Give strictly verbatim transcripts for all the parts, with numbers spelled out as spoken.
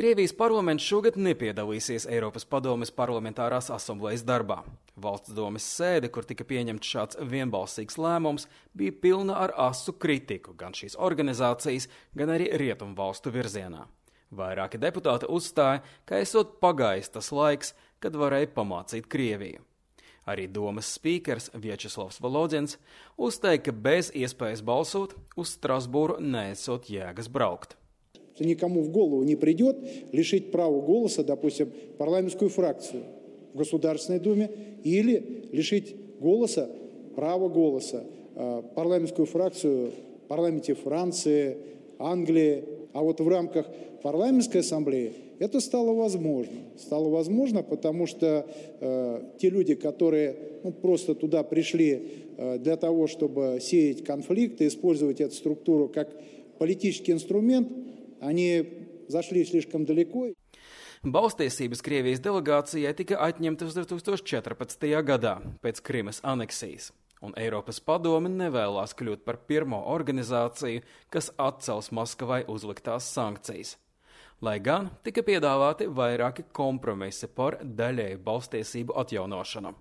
Krievijas parlaments šogad nepiedalīsies Eiropas padomes parlamentārās asamblejas darbā. Valsts domes sēde, kur tika pieņemts šāds vienbalsīgs lēmums, bija pilna ar asu kritiku gan šīs organizācijas, gan arī rietumu valstu virzienā. Vairāki deputāti uzstāja, ka esot pagājis tas laiks, kad varēja pamācīt Krieviju. Arī domas spīkers Vječeslavs Volodins uzteica, ka bez iespējas balsot uz Strasbūru neesot jēgas braukt. Никому в голову не придет лишить права голоса, допустим, парламентскую фракцию в Государственной Думе или лишить голоса, права голоса парламентскую фракцию в парламенте Франции, Англии. А вот в рамках парламентской ассамблеи это стало возможно. Стало возможно, потому что э, те люди, которые ну, просто туда пришли э, для того, чтобы сеять конфликты, использовать эту структуру как политический инструмент, они зашли слишком далеко. Balstiesības Krievijas delegācijai tika atņemtas divi tūkstoši četrpadsmitajā gadā pēc Krimas aneksijas, un Eiropas padome nevēlās kļūt par pirmo organizāciju, kas atcels Maskavai uzliktās sankcijas. Lai gan tika piedāvāti vairāki kompromisi par daļēju balstiesību atjaunošanu.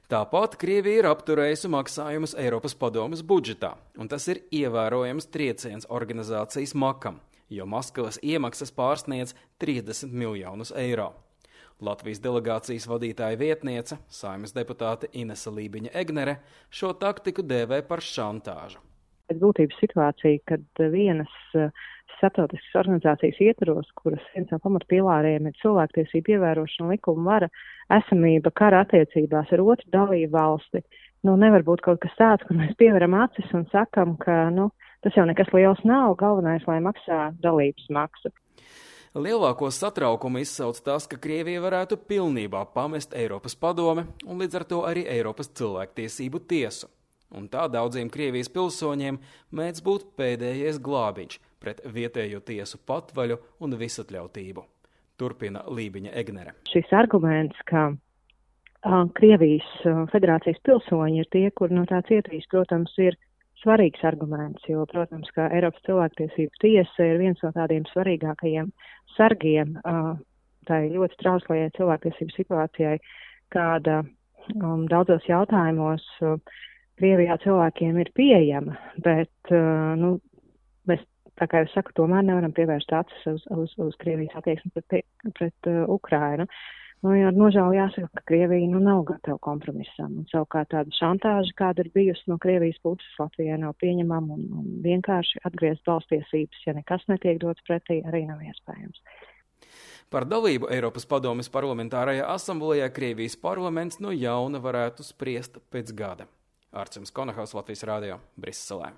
Tāpat Krievija ir apturējusi maksājumus Eiropas padomes budžetā, un tas ir ievērojams trieciens organizācijas makam, jo Maskavas iemaksas pārsniedz trīsdesmit miljonus eiro. Latvijas delegācijas vadītāja vietniece, Saeimas deputāte Inese Lībiņa-Egnere, šo taktiku dēvē par šantāžu. Pēc būtības situācija, kad vienas starptautiskas organizācijas ietvaros, kuras viens no pamatpilāriem ir cilvēktiesību ievērošana, likuma vara, esamība kara attiecībās ar otru dalību valsti, nu nevar būt kaut kas tāds, kur mēs pieveram acis un sakam, ka nu, tas jau nekas liels nav, galvenais, lai maksā dalības maksu. Lielāko satraukumu izsauc tas, ka Krievija varētu pilnībā pamest Eiropas padome un līdz ar to arī Eiropas cilvēktiesību tiesu. Un tā daudziem Krievijas pilsoņiem mēdz būt pēdējais glābiņš pret vietējo tiesu patvaļu un visatļautību. Turpina Lībiņa-Egnere. Šis arguments, ka uh, Krievijas uh, federācijas pilsoņi ir tie, kur no tā cietīs, protams, ir svarīgs arguments, jo, protams, ka Eiropas cilvēktiesību tiesa ir viens no tādiem svarīgākajiem sargiem uh, tai ļoti trauslajai cilvēktiesību situācijai, kāda um, daudzos jautājumos uh, Krievijā cilvēkiem ir pieejama, bet, uh, nu, mēs, tā kā jau saku, tomēr nevaram pievērst acis uz, uz, uz Krievijas attieksmi pret, pret uh, Ukrainu. Nu, ar nožēlu jāsaka, ka Krievija nu, nav gatava kompromisam, un savukārt tāda šantāža, kāda ir bijusi no Krievijas puses, Latvijai nav pieņemama, un, un vienkārši atgriezt balstiesības, ja nekas netiek dots pretī, arī nav iespējams. Par dalību Eiropas padomes parlamentārajā asamblejā Krievijas parlaments no jauna varētu spriest pēc gada. Arcims Konahaus, Latvijas radio, Briselē.